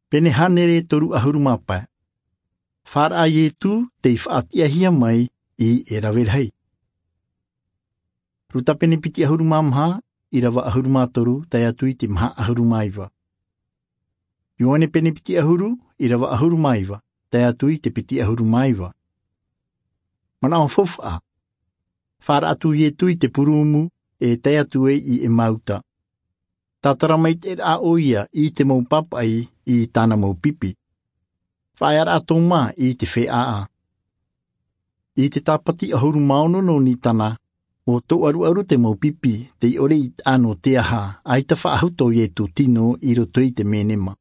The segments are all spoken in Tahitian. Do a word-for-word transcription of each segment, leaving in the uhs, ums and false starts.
Pene hānere toru ʻahuru mā pae. Fāraʻa a iesu tei faʻatiʻahia mai i te rave rahi. Luka pene piti ʻahuru mā maha, ʻirava ʻahuru mā toru tae atu i te maha ʻahuru mā iva. Ioane pene piti ʻahuru, ʻirava ʻahuru mā iva tae atu i te piti ʻahuru mā iva. Manaʻo faufaʻa. Fāraʻa atu iesu i te purumu e tae atu ai i emauta. Tātara mai te raʻa ʻo ia i te mau pāpaʻi i tāna mau pipi. Faʻaea rā tōmā i te feʻaʻa. I te tāpati ʻahuru mā ono nō nisana, ʻo tōʻaruʻaru te mau pipi tei ʻore i taʻa nō te aha, ʻaita faʻahou tō iesu tino i roto i te menema.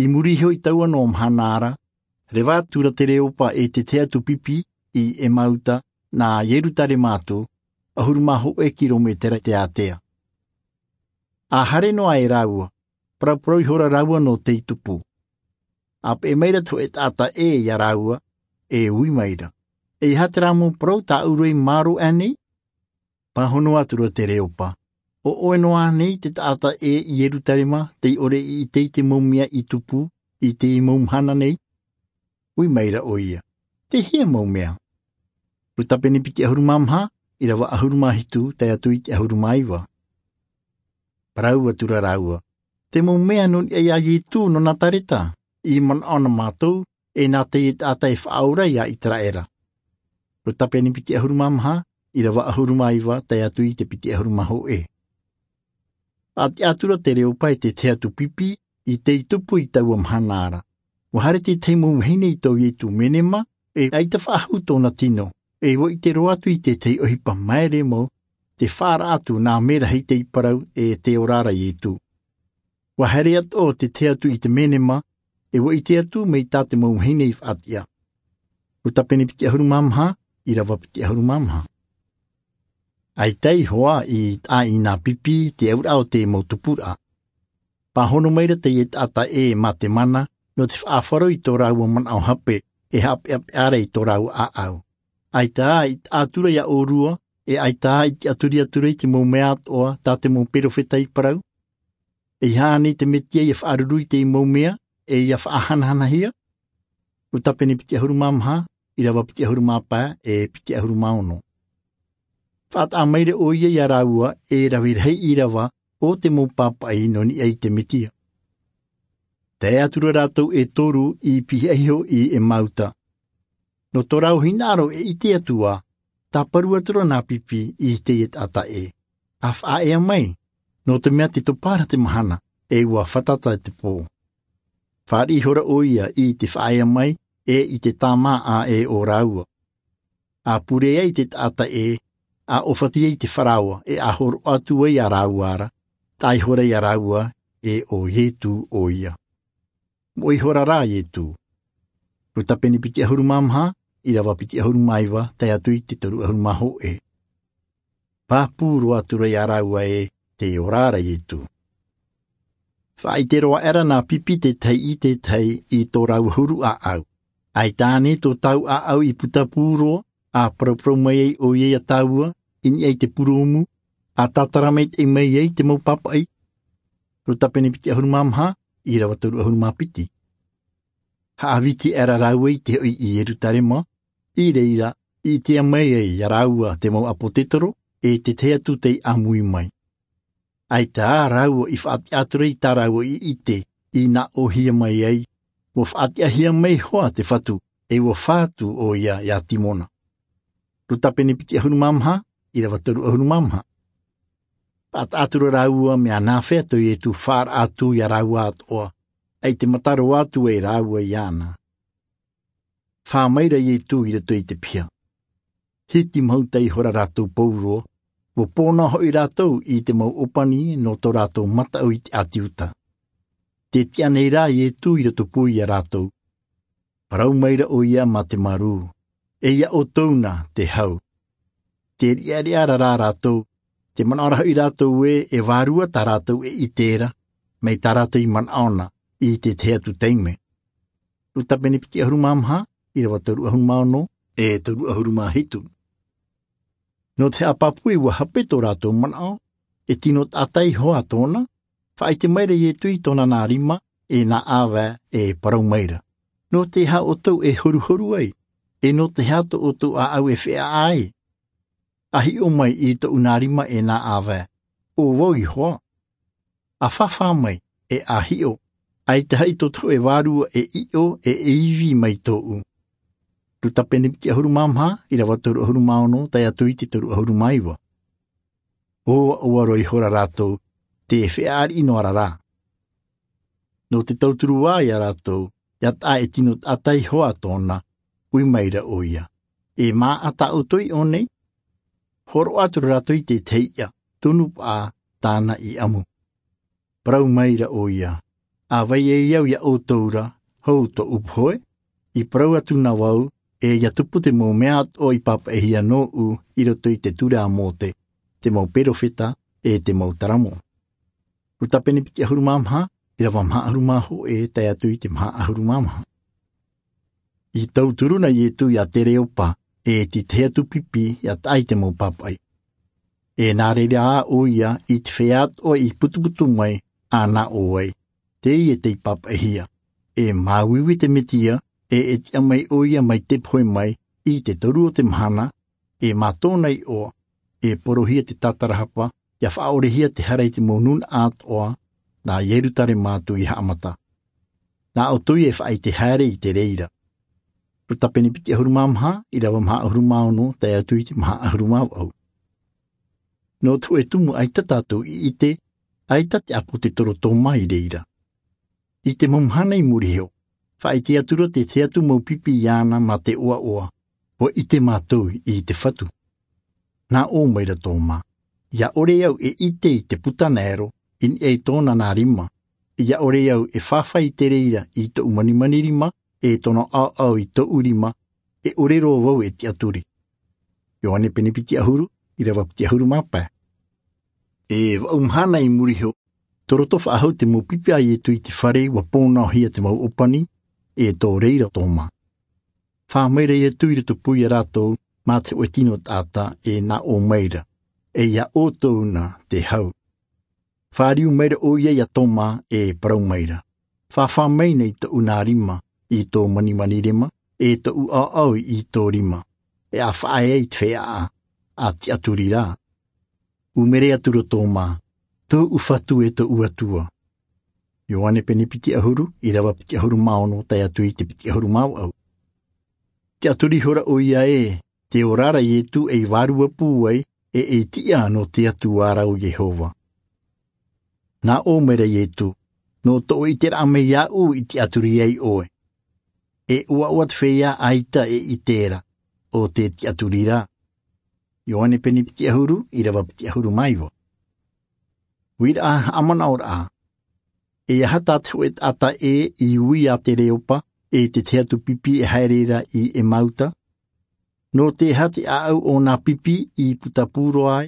I muri iho i taua nō mahana ra, reva atu ra te reopa e te tahi atu pipi i emauta, nā ierusalema atu, ʻahuru mā hōʻē kirometera te ātea. A haere noa e rāua, parauparau ihora rāua nō tei tupu. A peʻe maira te hōʻē taʻata ʻē iā rāua, e ui maira, e aha te rā mau parau tāʻu roa i mārō aʻe nei? Pāhono atu ra te reopa, ʻo ʻoe noa nei te taʻata ʻē i ierusalema tei ʻore i ʻite i te mau mea i tupu i teie mau mahana nei? Ui maira ʻo ia, te hea mau mea? Luka pene piti ʻahuru mā maha, ʻirava ʻahuru mā hitu tae atu i te ʻahuru mā iva. Parau atu ra rāua, te mau mea nō niʻa iā iesu nō nazareta, i manaʻo na mātou, e nā teie taʻata e faʻaora iā iseraela. Luka pene piti ʻahuru mā maha, ʻirava ʻahuru mā iva tae atu i te piti ʻahuru mā hōʻē. Faʻatiʻa atu ra te reopa e te tahi atu pipi i tei tupu i taua mahana ra. Ua haere te tahi mau vahine i tō iesu menema, e ʻaita faʻahou tōna tino, e ua ʻite roa atu i te tahi ʻohipa maere mau, te fāraʻa atu nā mea rahi tei parau e te ora ra iesu. Ua haere atoʻa te tahi atu i te menema, e ua ʻite atu mai tā te mau vahine i faʻatiʻa. Luka pene piti ʻahuru mā maha, ʻirava piti ʻahuru mā maha. ʻAita i hoa i taʻa i nā pipi te auraʻa o te mau tupuraʻa. Pāhono maira teie taʻata ʻē mā te mana, nō te faʻaʻaro i tō rāua manaʻo hape, e haʻapeʻapeʻa ra i tō rāua ʻāʻau. ʻAita i taʻa atu ra iā ʻōrua, e ʻaita i tiʻaturi atu ra i te mau mea atoʻa tā te mau perofeta i parau? E aha ānei te mesia ia faʻaruru i te mau mea, e ia faʻahanahanahia? Luka pene piti ʻahuru mā maha, ʻirava piti ʻahuru mā pae, e piti ʻahuru mā ono. Faʻataʻa maira ʻo ia iā rāua, e rave rahi ʻirava o te mau pāpaʻi nō niʻa i te mesia. Tae atu ra rātou e toru i pihaʻi iho i emauta. Nō tō rāua hinaʻaro e ʻite atu ā, tāparu atu ra nā pipi i teie taʻata ʻē. A faʻaea mai, nō te mea tē topa ra te mahana, e ua fātata te pō. Fāriʻi ihora ʻo ia i te faʻaea mai, e i te tāmāʻa ʻē o rāua. A pure ai te taʻata ʻē, a ʻōfati ai te faraoa, e a hōroʻa atu ai iā rāua ra, taʻa ihora iā rāua, e ʻo iesu ʻo ia. Moʻe ihora rā iesu. Luka pene piti ʻahuru mā maha, ʻirava piti ʻahuru mā iva tae atu i te toru ʻahuru mā hōʻē. Pāpū roa atu ra iā rāua e te ora ra iesu. Faʻaʻite roa aʻera nā pipi te tahi i te tahi i tō rāua huru ʻāʻau. ʻAita ānei tō tāua ʻāʻau i putapū roa, a paraparau mai ai ʻo ia iā tāua i niʻa i te purumu, a tātara maitaʻi mai ai te mau pāpaʻi? Luka pene piti ʻahuru mā maha, ʻirava toru ʻahuru mā piti. Haʻaviti aʻera rāua i te hoʻi i ierusalema, i reira i ʻitea mai ai iā rāua te mau ʻāpōsetolo, e te tahi atu tei ʻāmui mai. ʻAita ā rāua i faʻatiʻa atu ra i tā rāua i ʻite, i nāʻōhia mai ai, ua faʻatiʻahia mai hoʻi te fatu, e ua fā atu ʻo ia iā simona. Luka pene piti ʻahuru mā maha, ʻirava toru ʻahuru mā maha. Faʻataʻa atu ra rāua mea nāfea tō iesu faʻaraʻa atu iā rāua atoʻa, ʻaita e mata roa atu ai rāua iāna. Fā maira iesu i roto i te piha. Hiti mahuta ihora rātou pauroa, ua pō noa hoʻi rātou i te mau ʻōpani nō tō rātou mataʻu i te ʻāti iuda. Tē tiʻa nei rā iesu i roto pū iā rātou. Parau maira ʻo ia mā te marū, e iā ʻoutou na te hau. Tē riʻariʻa ra rā rātou, tē manaʻo ra hoʻi rātou ē e vārua tā rātou e ʻite ra, mai tā rātou i manaʻo na i te tahi atu taime. Luka pene piti ʻahuru mā maha, ʻirava toru ʻahuru mā ono, e toru ʻahuru mā hitu. Nō te haʻapāpū ua hape tō rātou manaʻo, e tino taʻata iho ā tōna. Faʻaʻite maira iesu i tōna nā rima, e nā ʻāvae, e parau maira, nō te aha ʻoutou e horuhoru ai? E nō te aha tō ʻoutou ʻāʻau e feʻaʻa ai? A hiʻo mai i tōʻu nā rima, e nā ʻāvae, ʻo vau iho ā. A fāfā mai, e a hiʻo, ʻaita haʻi tō te hōʻē vārua e ʻiʻo, e e ivi mai tōʻu. Luka pene piti ʻahuru mā maha, ʻīrava toru ʻahuru mā ono tae atu i te toru ʻahuru mā iva. ʻO aʻoa roa ihora rātou, te feʻaʻa riʻi noa ra rā. Nō te tauturu ā ia rātou, ʻia taʻa e tino taʻata iho ā tōna, ui maira ʻoia, e mā ʻa tā ʻoutou i ʻō nei? Hōroʻa atu ra rātou i te tahi iʻa, tunu paʻa tāna i ʻamu. Parau maira ʻoia, a vai ai au ia ʻoutou ra, hou tōʻu pohe? I parau atu na vau, e ʻia tupu te mau mea atoʻa i pāpaʻihia nōʻu i roto i te ture a Mōte, te mau perofeta, e te mau taramo. Luka pene piti ʻahuru mā maha, ʻīrava maha ʻahuru mā hōʻē tae atu i te maha ʻahuru mā maha. I tauturu na Ietu ia Tereopa, e te tahi atu pipi ʻia taʻa i te mau pāpaʻi. E nā reira ā ʻoia i te feiā atoʻa i putuputu mai, a nā ʻō ai, teie tei pāpaʻihia. E māuiui te Mesia, e e tiʻa mai ʻoia mai te pohe mai, i te toru o te mahana, e mā tōna iʻoa, e porohia te tātarahapa, ʻia faʻaʻorehia te hara i te mau nūnaʻa atoʻa, nā Ierutarema atu i haʻamata. Nā ʻoutou e faʻaʻite haere i te reira. Luka pene piti ʻahuru mā maha, ʻīrava maha ʻahuru mā ono tae atu i te maha ʻahuru mā vaʻu. Nō te hōʻē tumu ʻaita tātou i ʻite, ʻaita te ʻāpōsetolo Tōmā i reira. I te mau mahana i muri iho, faʻaʻite atu ra te tahi atu mau pipi iāna mā te ʻoaʻoa, ʻua ʻite mātou i te Fatu. Nā ʻō maira Tōmā, ʻia ʻore au e ʻite i te puta naero, i niʻa i tōna nā rima, ʻia ʻore au e fāfā i te reira i tōʻu manimani rima, e tōna ʻaoʻao i tōʻu rima, e ʻore roa vau e tiʻaturi. Ioane pene piti ʻahuru, ʻīrava piti ʻahuru mā pae. E vaʻu mahana i muri iho, tō roto faʻahou te mau pipi a Ietu i te fare, ʻua pōnaʻohia te mau ʻōpani, e tō reira Tōmā. Fā maira Ietu i roto pū ia rātou, mā te hōʻē tino taʻata, e nā ʻō maira, e ia ʻoutou na te hau. Fāriu maira ʻoia ia Tōmā, e parau maira, fāfā mai nei tōʻu nā rima i tō manimani rima, e tōʻu ʻaoʻao i tō rima, e a faʻaea i te feiā, a tiʻaturi rā. ʻUmere atu ra Tōmā, tōʻu Fatu e tōʻu Atua. Ioane pene piti ʻahuru, ʻīrava piti ʻahuru mā ono tae atu i te piti ʻahuru mā vaʻu. Tiʻaturi ihora ʻoia ē, te ora ra Ietu ei vārua pūai, e ei tiʻa nō te Atua ra ʻo Iehova. Nā ʻō maira Ietu, nō tō ʻiteraʻa mai iāʻu i tiʻaturi ai ʻoe. E ʻoaʻoa te feiā ʻaita e ʻite ra, ʻo te tiʻaturi rā. Ioane pene piti ʻahuru, ʻīrava piti ʻahuru mā iva. Uiraʻa haʻamanaʻoraʻa. E aha tā te hōʻē taʻata ē i ui ia Tereopa, e te tahi atu pipi e haere ra i Emauta? Nō te aha te ʻāʻau o nā pipi i puta pū roa ai?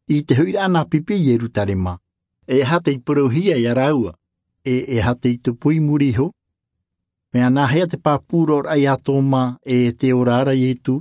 I te hoʻiraʻa nā pipi i Ierutarema, e aha tei parauhia ia rāua? E e aha tei tupu i muri iho? Mea nāhea te pāpū roa ia Tōmā, e te ora ra Ietu,